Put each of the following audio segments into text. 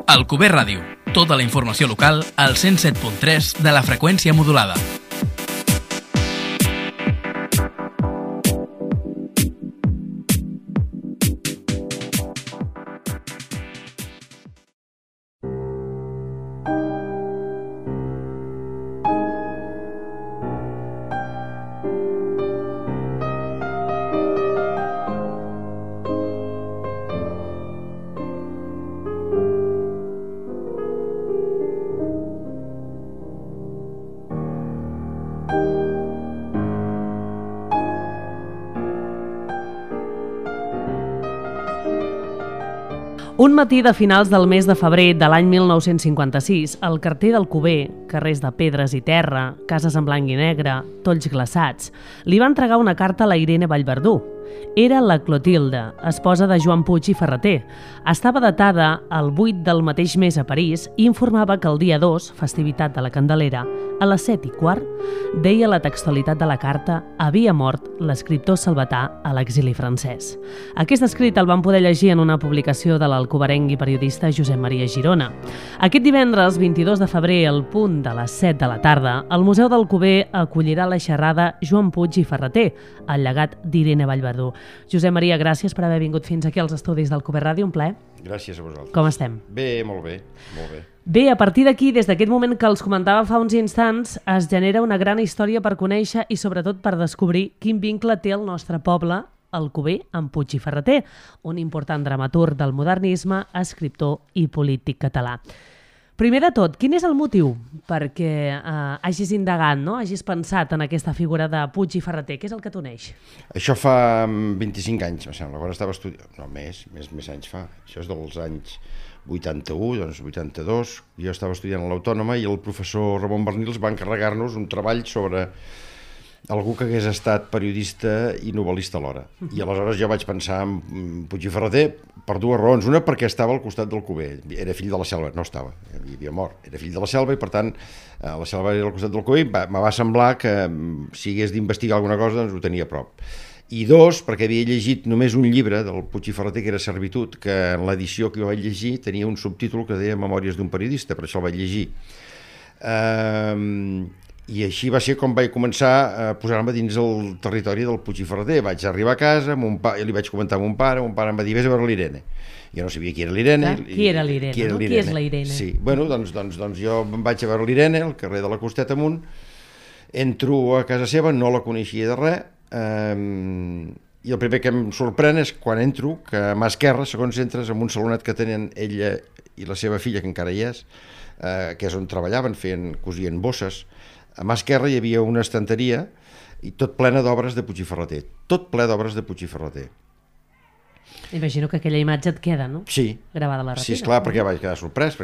Alcover Ràdio. Tota la informació local al 107.3 de la freqüència modulada. Un matí de finals del mes de febrer de l'any 1956, el carter d'Alcover, carrers de pedres i terra, cases en blanc i negre, tolls glaçats, li va entregar una carta a la Irene Vallverdú. Era la Clotilde, esposa de Joan Puig i Ferrater. Estava datada el 8 del mateix mes a París i informava que el dia 2, festivitat de la Candelera, a les 7:15, deia la textualitat de la carta, havia mort l'escriptor salvatà a l'exili francès. Aquest escrit el van poder llegir en una publicació de l'alcoverenc i periodista Josep Maria Girona. Aquest divendres, 22 de febrer, al punt de les 7 de la tarda, el Museu d'Alcover acollirà la xerrada Joan Puig i Ferrater, el llegat d'Irene Vallverdú. Josep Maria, gràcies per haver vingut fins aquí als estudis d'Alcover Ràdio, un plaer. Gràcies a vosaltres. Com estem? Bé, molt bé, molt bé. Bé, a partir d'aquí, des d'aquest moment que els comentava fa uns instants, es genera una gran història per conèixer i sobretot per descobrir quin vincle té el nostre poble, Alcover, amb Puig i Ferrater, un important dramaturg del modernisme, escriptor i polític català. Primer de tot, quin és el motiu perquè hagis indagat, no? Hagis pensat en aquesta figura de Puig i Ferrater? Què és el que t'uneix? Això fa 25 anys, em sembla. Quan estava estudiant... No, més anys fa. Això és dels anys 81, doncs 82. Jo estava estudiant a l'Autònoma i el professor Ramon Bernils va encarregar-nos un treball sobre algú que hagués estat periodista i novel·lista alhora. I aleshores jo vaig pensar en Puig i Ferrater per dues raons. Una, perquè estava al costat d'Alcover. Era fill de la Selva, no estava, havia mort. Era fill de la Selva i, per tant, la Selva era al costat d'Alcover i me va semblar que si hagués d'investigar alguna cosa, doncs ho tenia a prop. I dos, perquè havia llegit només un llibre del Puig i Ferrater, que era Servitud, que en l'edició que jo vaig llegir tenia un subtítol que deia Memòries d'un periodista, per això el vaig llegir. I així va ser com vaig començar a posar-me dins el territori del Puig i Ferrater. Vaig arribar a casa, i li vaig comentar a mon pare em va dir, vés a veure l'Irene. Jo no sabia qui era l'Irene. Qui era l'Irene, no? Qui és la Irene? Sí, bueno, doncs jo em vaig a veure l'Irene, al carrer de la Costeta amunt, entro a casa seva, no la coneixia de res, i el primer que em sorprèn és quan entro, que a mà esquerra, segons entres, en un salonet que tenen ella i la seva filla, que encara hi és, que és on treballaven, cosien bosses. A mà esquerra hi havia una estanteria i tot plena d'obres de Puig i Ferrater. Tot ple d'obres de Puig i Ferrater. Imagino que aquella imatge et queda, no? Sí. Gravada a la retina. Sí, esclar, perquè vaig quedar sorprès.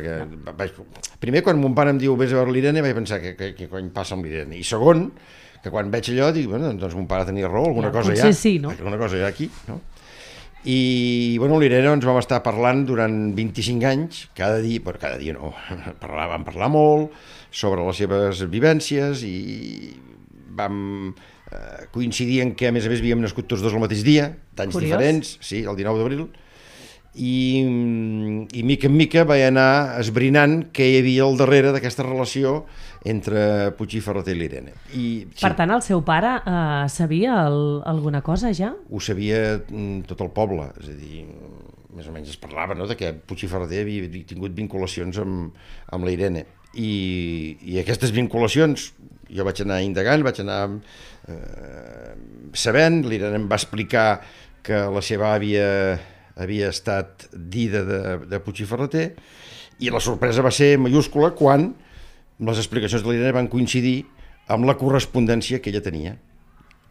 Primer, quan mon pare em diu vés a veure l'Irene, vaig pensar què cony passa amb l'Irene. I segon, que quan veig allò dic, bueno, doncs mon pare tenia raó, alguna cosa hi ha. Potser sí, no? Alguna cosa hi ha aquí, no? I, bueno, l'Irene ens vam estar parlant durant 25 anys, cada dia no, vam parlar molt sobre les seves vivències i vam coincidir en que, a més, havíem nascut tots dos el mateix dia, d'anys diferents, sí, el 19 d'abril, i mica en mica vaig anar esbrinant què hi havia al darrere d'aquesta relació entre Puig i Ferrater i l'Irene. Per tant, el seu pare sabia alguna cosa ja? Ho sabia tot el poble, és a dir, més o menys es parlava, no?, de que Puig i Ferrater havia tingut vinculacions amb la Irene. I aquestes vinculacions jo vaig anar indagant, vaig anar sabent, l'Irene em va explicar que la seva àvia havia estat dida de Puig i Ferrater, i la sorpresa va ser mayúscula quan les explicacions de l'Irene van coincidir amb la correspondència que ella tenia.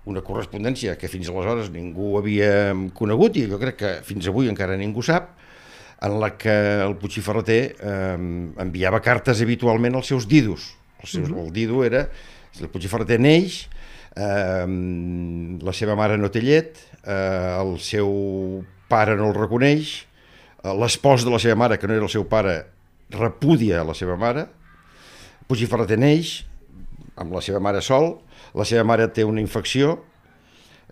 Una correspondència que fins aleshores ningú havia conegut, i jo crec que fins avui encara ningú sap, en la que el Puig i Ferrater enviava cartes habitualment als seus didos. El dido era, el Puig i Ferrater neix, la seva mare no té llet, el seu pare no el reconeix, l'espòs de la seva mare, que no era el seu pare, repudia la seva mare, Puig i Ferrater neix amb la seva mare sol, la seva mare té una infecció,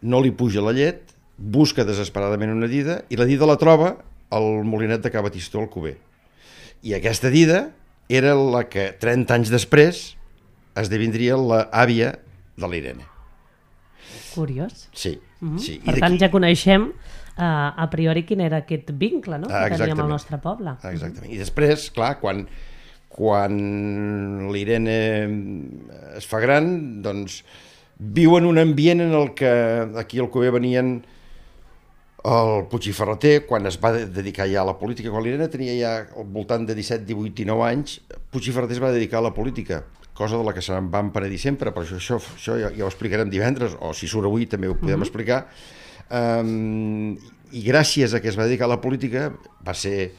no li puja la llet, busca desesperadament una dida, i la dida la troba al molinet de Ca Batistó, al Alcover. I aquesta dida era la que 30 anys després esdevindria l'àvia de l'Irene. Curiós. Sí, sí. Per tant, ja coneixem a priori quin era aquest vincle, no?, que teníem al nostre poble. Exactament. I després, clar, quan l'Irene es fa gran, doncs viu en un ambient en el que aquí al Cuber venien el Puig i Ferrater, quan es va dedicar ja a la política. Quan l'Irene tenia ja al voltant de 17, 18 i 9 anys, Puig i Ferrater es va dedicar a la política, cosa de la que se'n van penedir sempre, però això ja ho explicarem divendres, o si surt avui també ho podem explicar. I gràcies a que es va dedicar a la política va ser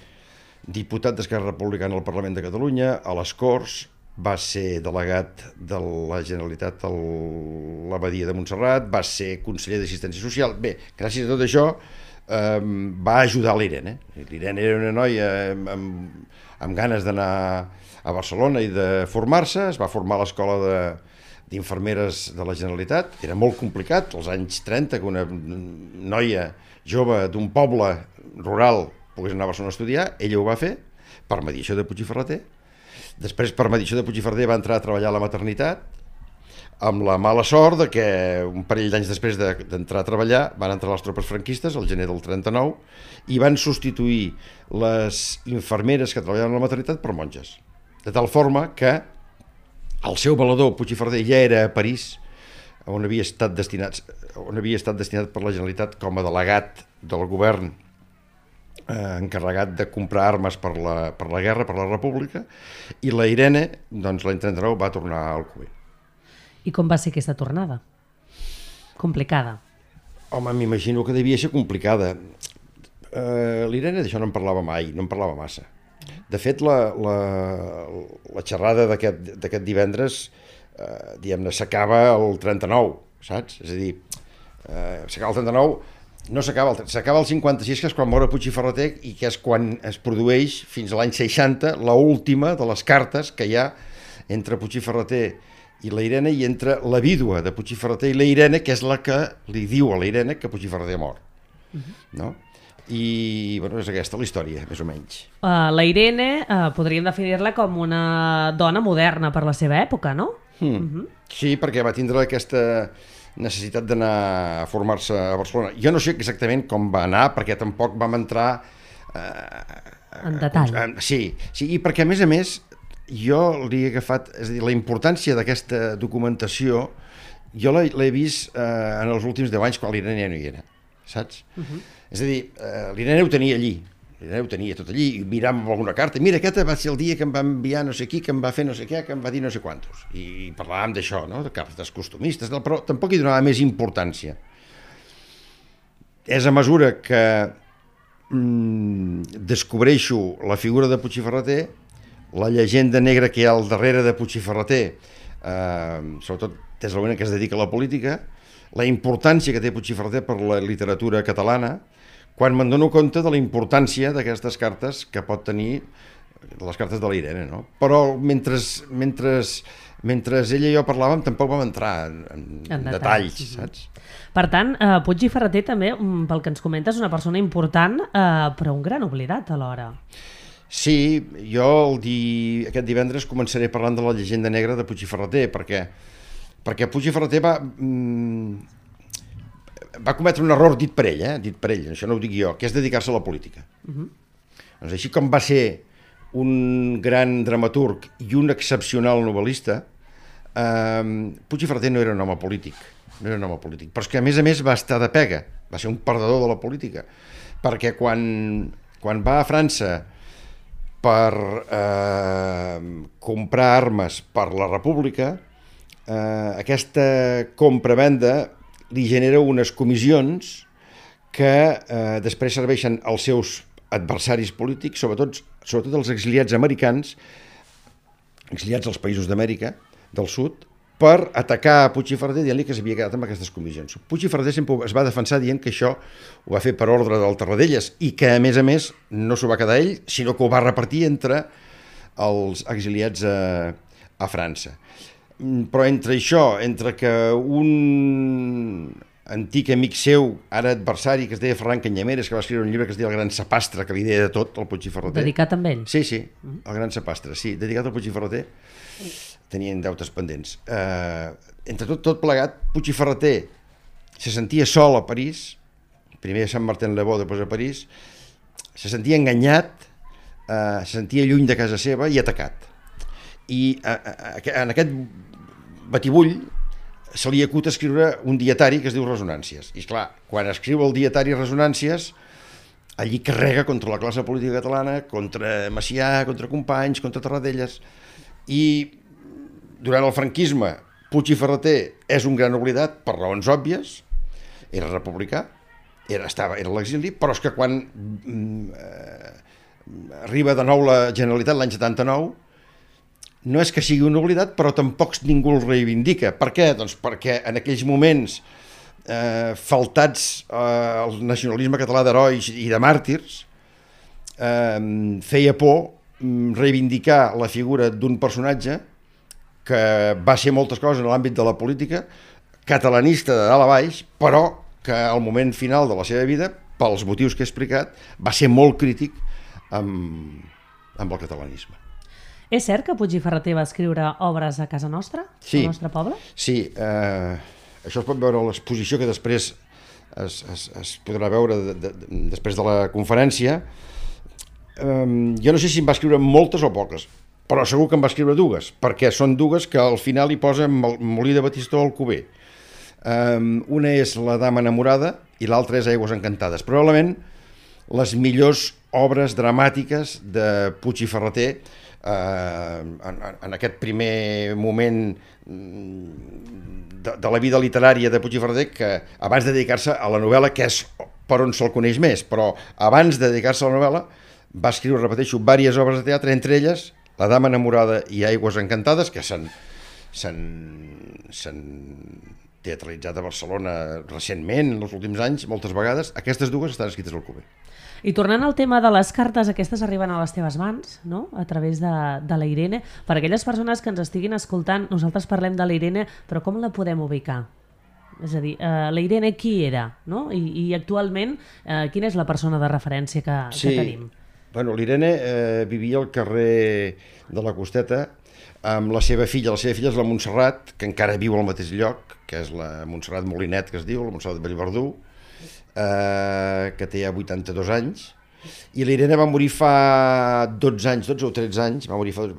diputat d'Esquerra Republicana al Parlament de Catalunya, a les Corts, va ser delegat de la Generalitat a l'Abadia de Montserrat, va ser conseller d'Assistència Social. Bé, gràcies a tot això va ajudar l'Irene. L'Irene era una noia amb ganes d'anar a Barcelona i de formar-se, es va formar a l'escola d'infermeres de la Generalitat. Era molt complicat, als anys 30, que una noia jove d'un poble rural pogués anar a Barcelona a estudiar. Ella ho va fer per mediació de Puig i Ferrater. Després, per mediació de Puig i Ferrater, va entrar a treballar a la maternitat, amb la mala sort de que un parell d'anys després d'entrar a treballar van entrar les tropes franquistes, al gener del 39, i van substituir les infermeres que treballaven a la maternitat per monges. De tal forma que el seu valedor, Puig i Ferrater, ja era a París, on havia estat destinat per la Generalitat com a delegat del govern encarregat de comprar armes per la guerra, per la República, i la Irene, doncs l'any 39, va tornar al Cuber. I com va ser aquesta tornada? Complicada. Home, m'imagino que devia ser complicada. L'Irene d'això no en parlava mai, no en parlava massa. De fet, la xerrada d'aquest divendres, diguem-ne, s'acaba el 39, saps? És a dir, s'acaba el 39, no s'acaba el 56, que és quan mor Puig i Ferrater, i que és quan es produeix, fins a l'any 60, l'última de les cartes que hi ha entre Puig i Ferrater i la Irene, i entre la vídua de Puig i Ferrater i la Irene, que és la que li diu a la Irene que Puig i Ferrater ha mort. No? I bueno, és aquesta la història, més o menys. La Irene podríem definir-la com una dona moderna per la seva època, no? Sí, perquè va tindre aquesta necessitat d'anar a formar-se a Barcelona. Jo no sé exactament com va anar, perquè tampoc vam entrar en detall. Sí, i perquè a més jo li he agafat, és a dir, la importància d'aquesta documentació jo l'he vist en els últims 10 anys, quan l'Irene ja no hi era, saps? És a dir, l'Irene ho tenia allí, l'Irene ho tenia tot allí, i miràvem alguna carta, mira, aquest va ser el dia que em va enviar no sé qui, que em va fer no sé què, que em va dir no sé quantos, i parlàvem d'això, no?, de cartes costumistes, però tampoc hi donava més importància. És a mesura que descobreixo la figura de Puig i Ferrater, la llegenda negra que hi ha al darrere de Puig i Ferrater, sobretot des del moment que es dedica a la política, la importància que té Puig i Ferrater per la literatura catalana, quan me'n dono compte de la importància d'aquestes cartes que pot tenir, de les cartes de la Irene, no? Però mentre ella i jo parlàvem tampoc vam entrar en detalls, saps? Per tant, Puig i Ferrater també, pel que ens comentes, és una persona important, però un gran oblidat alhora. Sí, jo aquest divendres començaré parlant de la llegenda negra de Puig i Ferrater, perquè Puig i Ferrater va cometre un error dit per ell, això no ho dic jo, que és dedicar-se a la política. Doncs així com va ser un gran dramaturg i un excepcional novel·lista, Puig i Ferrater no era un home polític, però és que a més va estar de pega, va ser un perdedor de la política, perquè quan va a França per comprar armes per la República, aquesta compra-venda li genera unes comissions que després serveixen als seus adversaris polítics, sobretot els exiliats americans, exiliats als països d'Amèrica del Sud, per atacar a Puig i Ferrater dient-li que s'havia quedat amb aquestes comissions. Puig i Ferrater sempre es va defensar dient que això ho va fer per ordre del Tarradellas i que, a més, no s'ho va quedar ell, sinó que ho va repartir entre els exiliats a França. Però entre això, entre que un antic amic seu, ara adversari, que es deia Ferran Canyameres, que va escriure un llibre que es deia El gran sapastre, que li deia de tot, el Puig i Ferreter. Dedicat amb ell? Sí, El gran sapastre, sí, dedicat al Puig i Ferreter. Tenien deutes pendents. Entre tot plegat, Puig i Ferreter se sentia sol a París, primer a Sant-Martin-le-Beau, després a París, se sentia enganyat, se sentia lluny de casa seva i atacat. I en aquest batibull se li acut escriure un dietari que es diu Resonàncies. I esclar, quan escriu el dietari Resonàncies, allí carrega contra la classe política catalana, contra Macià, contra Companys, contra Tarradellas. I durant el franquisme, Puig i Ferreter és un gran oblidat per raons òbvies, era republicà, era a l'exili, però és que quan arriba de nou la Generalitat l'any 79, no és que sigui un oblidat, però tampoc ningú el reivindica. Per què? Doncs perquè en aquells moments faltats al nacionalisme català d'herois i de màrtirs, feia por reivindicar la figura d'un personatge que va ser moltes coses en l'àmbit de la política, catalanista de dalt a baix, però que al moment final de la seva vida, pels motius que he explicat, va ser molt crític amb el catalanisme. És cert que Puig i Ferreter va escriure obres a casa nostra, al nostre poble? Sí, això es pot veure a l'exposició que després es podrà veure després de la conferència. Jo no sé si en va escriure moltes o poques, però segur que en va escriure dues, perquè són dues que al final hi posa Molí de Batistó Alcover. Una és La dama enamorada i l'altra és Aigües encantades. Probablement les millors obres dramàtiques de Puig i Ferreter en aquest primer moment de la vida literària de Puig i Ferreter, que abans de dedicar-se a la novel·la, que és per on se'l coneix més, però abans de dedicar-se a la novel·la va escriure, repeteixo, diverses obres de teatre, entre elles La dama enamorada i Aigües encantades, que s'han teatralitzat a Barcelona recentment, en els últims anys, moltes vegades. Aquestes dues estan escrites al Alcover. I tornant al tema de les cartes, aquestes arriben a les teves mans, no? A través de la Irene. Per aquelles persones que ens estiguin escoltant, nosaltres parlem de la Irene, però com la podem ubicar? És a dir, la Irene qui era? No? I actualment, quina és la persona de referència que tenim? Bueno, l'Irene vivia al carrer de la Costeta amb la seva filla. La seva filla és la Montserrat, que encara viu al mateix lloc, que és la Montserrat Molinet, que es diu, la Montserrat de Bellverdú, que té ja 82 anys, i l'Irene va morir fa 12 anys, 12 o 13 anys, va morir va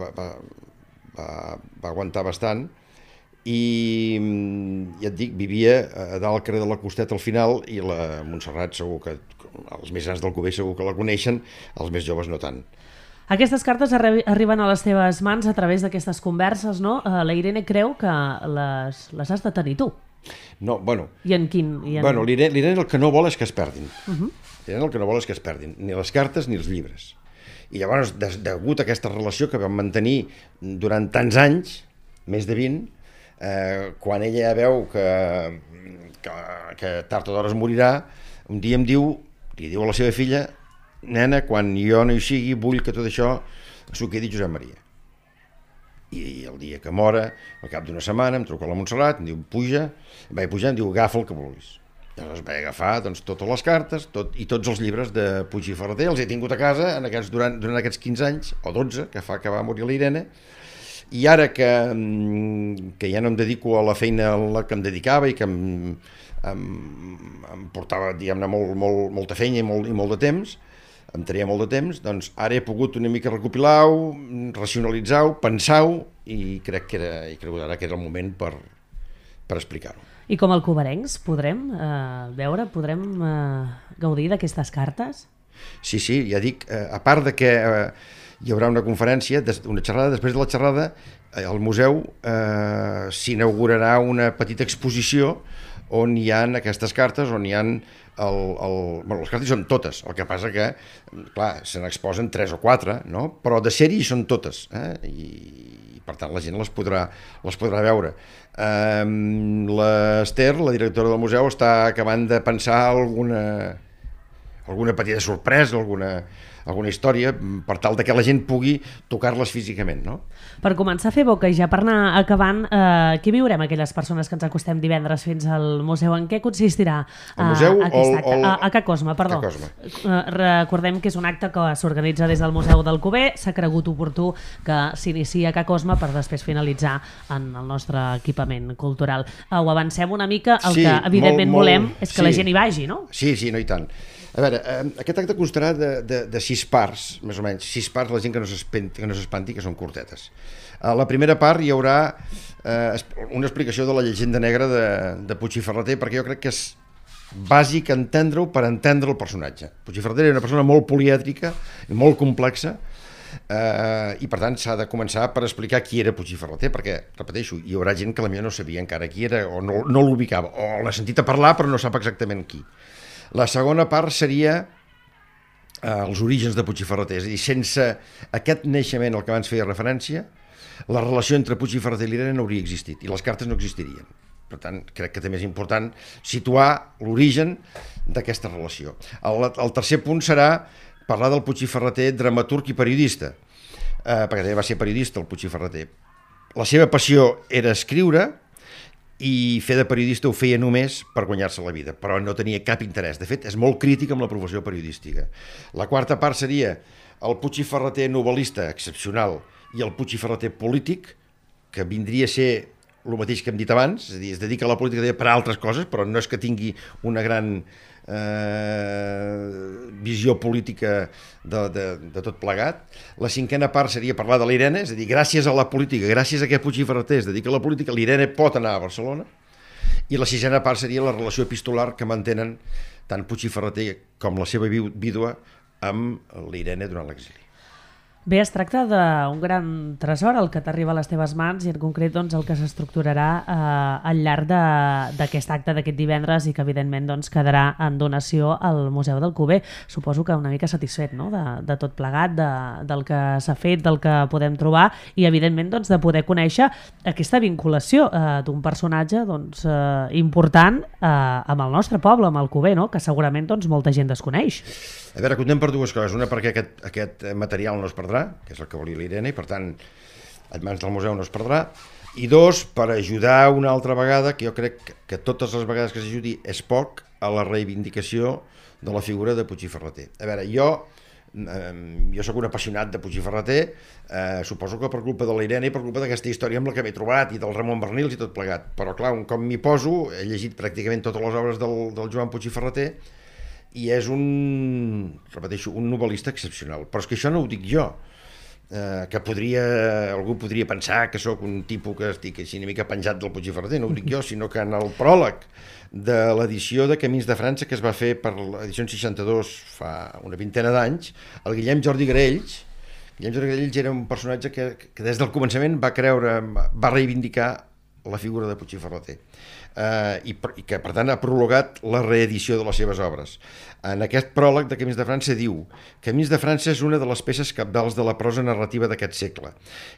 aguantar bastant, i ja et dic, vivia a dalt al carrer de la Costeta al final, i la Montserrat segur que, els més grans del Alcover segur que la coneixen, els més joves no tant. Aquestes cartes arriben a les teves mans a través d'aquestes converses, no? La Irene creu que les has de tenir tu. No, bueno... I en quin? Bueno, l'Irene el que no vol és que es perdin. L'Irene el que no vol és que es perdin, ni les cartes ni els llibres. I llavors, degut a aquesta relació que vam mantenir durant tants anys, més de 20, quan ella ja veu que tard o d'hora es morirà, un dia li diu a la seva filla: nena, quan jo no hi sigui, vull que tot això s'ho quedi Josep Maria. I el dia que mora, al cap d'una setmana, em truca la Montserrat, em diu, puja, vaig pujar, em diu, agafa el que vulguis. Llavors vaig agafar totes les cartes i tots els llibres de Puig i Ferreter, els he tingut a casa durant aquests 15 anys, o 12, que fa que va morir l'Irene, i ara que ja no em dedico a la feina a la que em dedicava i que em portava, diguem-ne, molta feina i molt de temps, em tenia molt de temps, doncs ara he pogut una mica recopilar-ho, racionalitzar-ho, pensar-ho, i crec que ara que era el moment per explicar-ho. I com a alcoverencs podrem veure, podrem gaudir d'aquestes cartes? Sí, ja dic, a part de que hi haurà una conferència, una xerrada, després de la xerrada al museu s'inaugurarà una petita exposició on hi ha aquestes cartes, on hi ha les cartes són totes, el que passa que, clar, se n'exposen 3 o 4, no? Però de sèrie hi són totes, i per tant la gent les podrà veure. L'Ester, la directora del museu, està acabant de pensar alguna petita sorpresa, alguna història per tal de que la gent pugui tocar-les físicament, no? Per començar a fer boca i ja per anar acabant, què viurem aquelles persones que ens acostem divendres fins al museu? En què consistirà aquest acte? A Ca Cosma, perdó. Recordem que és un acte que s'organitza des del Museu d'Alcover, s'ha cregut oportú que s'inicia a Ca Cosma per després finalitzar en el nostre equipament cultural. Ho avancem una mica, el que evidentment volem és que la gent hi vagi, no? Sí, no i tant. A veure, aquest acte constarà de 6 parts, més o menys, 6 parts, la gent que no s'espanti, que són curtetes. A la primera part hi haurà una explicació de la llegenda negra de Puig i Ferrater, perquè jo crec que és bàsic entendre-ho per entendre el personatge. Puig i Ferrater era una persona molt polièdrica, molt complexa, i per tant s'ha de començar per explicar qui era Puig i Ferrater, perquè, repeteixo, hi haurà gent que potser no sabia encara qui era o no l'ubicava, o l'ha sentit a parlar però no sap exactament qui. La segona part seria els orígens de Puig i Ferrater, és a dir, sense aquest naixement al que abans feia referència, la relació entre Puig i Ferrater i l'Irene no hauria existit i les cartes no existirien. Per tant, crec que també és important situar l'origen d'aquesta relació. El tercer punt serà parlar del Puig i Ferrater dramaturg i periodista, perquè també va ser periodista el Puig i Ferrater. La seva passió era escriure i fer de periodista ho feia només per guanyar-se la vida, però no tenia cap interès. De fet, és molt crític amb la professió periodística. La quarta part seria el Puig i Ferrater novel·lista excepcional i el Puig i Ferrater polític, que vindria a ser el mateix que hem dit abans, és a dir, es dedica a la política per altres coses, però no és que tingui una gran visió política de tot plegat. La cinquena part seria parlar de l'Irene, és a dir, gràcies a la política, gràcies a que Puig i Ferrater es dedica a la política, l'Irene pot anar a Barcelona. I la sisena part seria la relació epistolar que mantenen tant Puig i Ferrater com la seva vídua amb l'Irene durant l'exili. Bé, es tracta d'un gran tresor el que t'arriba a les teves mans i en concret doncs, el que s'estructurarà al llarg d'aquest acte d'aquest divendres i que evidentment doncs, quedarà en donació al Museu d'Alcover. Suposo que una mica satisfet, no? de tot plegat, del que s'ha fet, del que podem trobar i evidentment doncs, de poder conèixer aquesta vinculació d'un personatge doncs, important amb el nostre poble, amb Alcover, no? Que segurament doncs, molta gent desconeix. A veure, comptem per dues coses. Una, perquè aquest material no es perdrà, que és el que volia l'Irene, i per tant, en mans del museu no es perdrà. I dos, per ajudar una altra vegada, que jo crec que totes les vegades que s'ajudi és poc, a la reivindicació de la figura de Puig i Ferrater. A veure, jo sóc un apassionat de Puig i Ferrater, suposo que per culpa de l'Irene i per culpa d'aquesta història amb la que m'he trobat i del Ramon Bernils i tot plegat. Però clar, un cop m'hi poso, he llegit pràcticament totes les obres del Joan Puig i Ferrater, i és repeteixo, un novel·lista excepcional. Però és que això no ho dic jo, que algú podria pensar que sóc un tipus que estic així una mica penjat del Puig i Ferrater, no ho dic jo, sinó que en el pròleg de l'edició de Camins de França que es va fer per l'edició 62 fa una vintena d'anys, el Guillem Jordi Graells era un personatge que des del començament va reivindicar la figura de Puig i Ferrater. I que per tant ha prologat la reedició de les seves obres. En aquest pròleg de Camins de França diu: Camins de França és una de les peces cabdals de la prosa narrativa d'aquest segle,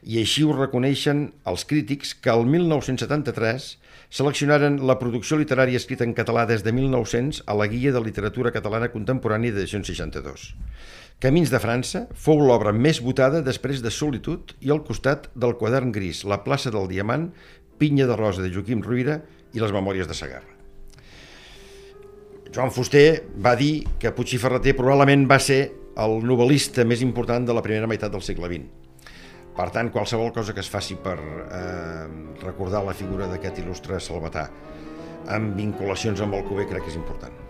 i així ho reconeixen els crítics que el 1973 seleccionaren la producció literària escrita en català des de 1900 a la Guia de Literatura Catalana Contemporània d'edició 62. Camins de França fou l'obra més votada després de Solitud i al costat del Quadern Gris, La plaça del Diamant, Pinya de Rosa de Joaquim Ruyra i les Memòries de Segarra. Joan Fuster va dir que Puig i Ferrater probablement va ser el novel·lista més important de la primera meitat del segle XX. Per tant, qualsevol cosa que es faci per recordar la figura d'aquest il·lustre salvatà amb vinculacions amb Alcover crec que és important.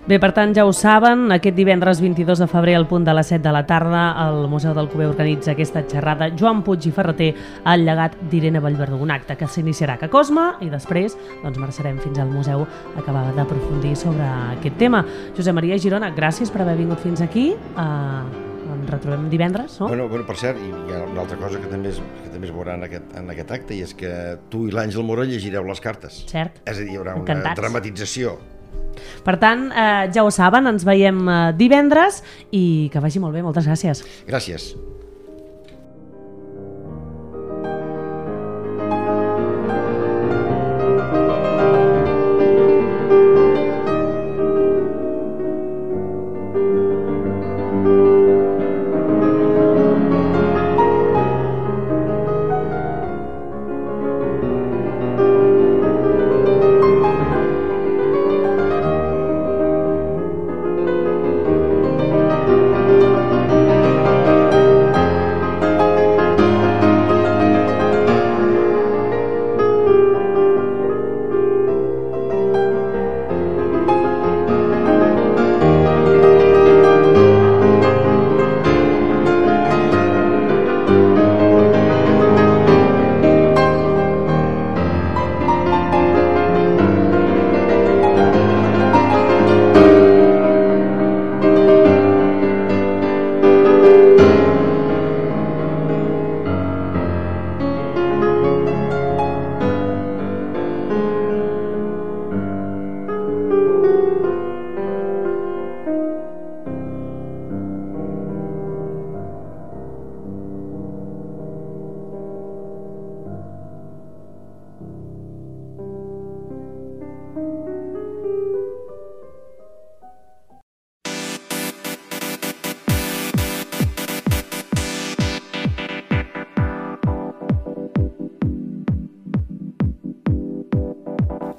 Bé, per tant, ja ho saben, aquest divendres 22 de febrer al punt de les 7 de la tarda el Museu d'Alcover organitza aquesta xerrada Joan Puig i Ferrater, el llegat d'Irene Vallverdú, un acte que s'iniciarà a Ca Cosma i després doncs, marxarem fins al museu a acabar d'aprofundir sobre aquest tema. Josep Maria Girona, gràcies per haver vingut fins aquí. Ens retrobem divendres, no? Bueno, per cert, hi ha una altra cosa que també es veurà en aquest acte, i és que tu i l'Àngel Mora llegireu les cartes. Cert. És a dir, hi haurà una dramatització. Per tant, ja ho saben, ens veiem divendres i que vagi molt bé. Moltes gràcies. Gràcies.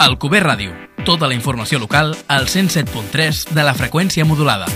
Alcover Ràdio. Tota la informació local al 107.3 de la freqüència modulada.